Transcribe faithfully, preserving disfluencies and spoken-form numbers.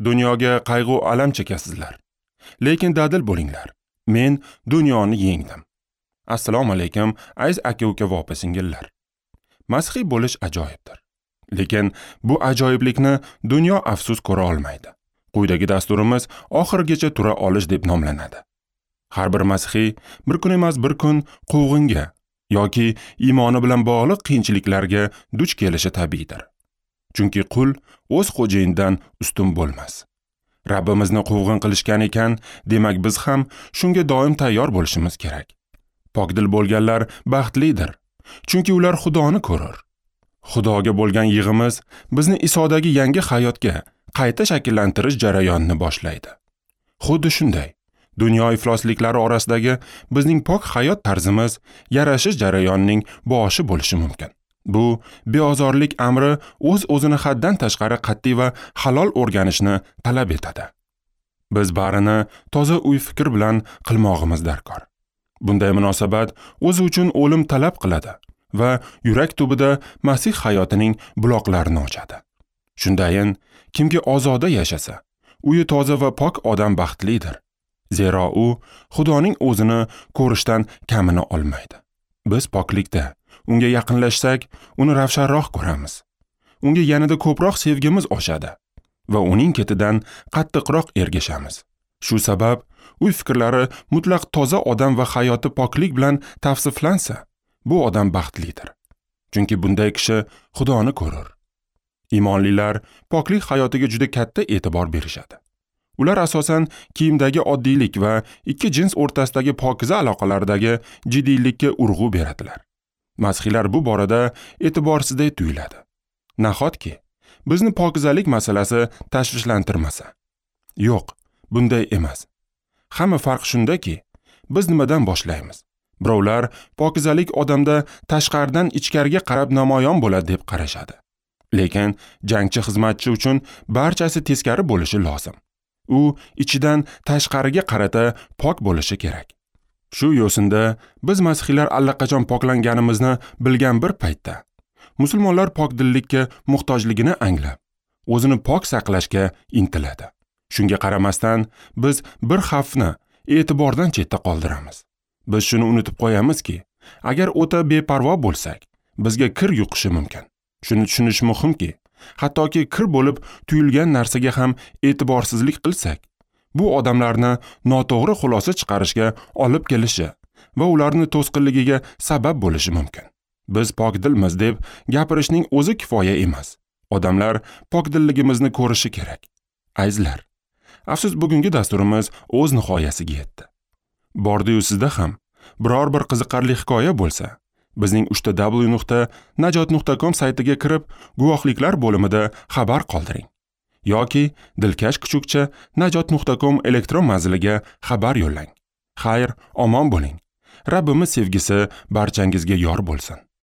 Dunyoga qayg'u alam chekasizlar. Lekin dadil bo'linglar. Men dunyoni yengdim. Assalomu alaykum, aziz aka-uka va opa-singillar. Masihiy bo'lish ajoyibdir. Lekin bu ajoyiblikni dunyo afsus ko'ra olmaydi. Quyidagi dasturimiz oxirigacha tura olish deb nomlanadi. Har bir masihiy bir kun emas bir kun quvg'inga yoki iymoni bilan bog'liq qiyinchiliklarga duch kelishi tabiiydir. Chunki qul o'z xo'jayinidan ustun bo'lmas. Rabbimizni quvg'in qilishgan ekan, demak biz ham shunga doim tayyor bo'lishimiz kerak. Pokdil bo'lganlar baxtlidir, chunki ular Xudoni ko'rur. Xudoga bo'lgan yig'imiz bizni Isodagi yangi hayotga qayta shakllantirish jarayonini boshlaydi. Xuddi shunday, dunyo iflosliklari orasidagi bizning pok hayot tarzimiz yarashish jarayonining boshi bo'lishi mumkin. Bu beozorlik amri o'z-o'zini haddan tashqari qat'iy va halol o'rganishni talab etadi. Biz barini toza o'y-fikr bilan qilmog'imiz darkor. Bunday munosabat o'zi uchun o'lim talab qiladi va yurak tubida Masih hayotining buloqlarini ochadi. Shundayin, kimki ozoda yashasa, uyi toza va pok odam baxtlidir. Zero u Xudoning o'zini ko'rishdan kamini olmaydi. Biz poklikda unga yaqinlashsak, uni ravshanroq ko'ramiz. Unga yanada ko'proq sevgimiz oshadi va uning ketidan qattiqroq ergashamiz. Shu sabab uy fikrlari mutlaq toza odam va hayoti poklik bilan tavsiflansa, bu odam baxtlidir. Chunki bunday kishi Xudoni ko'rur. Iymonlilar poklik hayotiga juda katta e'tibor berishadi. Ular asosan kiyimdagi oddiylik va ikki jins o'rtasidagi pokiza aloqalardagi jiddiylikka urg'u beradilar. Masihiylar bu borada e'tiborsizday tuyuladi. Nahotki bizni pokizalik masalasi tashvishlantirmasa? Yo'q, bunday emas. Hamma farq shundaki, biz nimadan boshlaymiz? Birovlar pokizalik odamda tashqaridan ichkariga qarab namoyon bo'ladi deb qarashadi. Lekin jangchi xizmatchi uchun barchasi teskari bo'lishi lozim. U ichidan tashqariga qarata pok bo'lishi kerak. Shu yo'sinda biz masihiylar allaqachon poklanganimizni bilgan bir paytda musulmonlar pokdillikka muhtojligini anglab, o'zini pok saqlashga intiladi. Shunga qaramasdan biz bir xavfni e'tibordan chetda qoldiramiz. Biz shuni unutib qo'yamizki, agar o'ta beparvo bo'lsak, bizga kir yuqishi mumkin. Shuni tushunish muhimki, hattoki kir bo'lib tuyulgan narsaga ham e'tiborsizlik qilsak, bu odamlarni noto'g'ri xulosa chiqarishga olib kelishi va ularni to'sqinligiga sabab bo'lishi mumkin. Biz pokdilmiz deb gapirishning o'zi kifoya emas. Odamlar pokdilligimizni ko'rishi kerak. Azizlar, afsus bugungi dasturimiz o'z nihoyasiga yetdi. Bordi-yu sizda ham biror bir qiziqarli hikoya bo'lsa, bizning uchta w nuqta najot nuqta com saytiga kirib, guvohliklar bo'limida xabar qoldiring yoki dilkash kuchukcha najot nuqta com elektron manziliga xabar yo'llang. Xayr, omon bo'ling. Rabbimiz sevgisi barchangizga yor bo'lsin.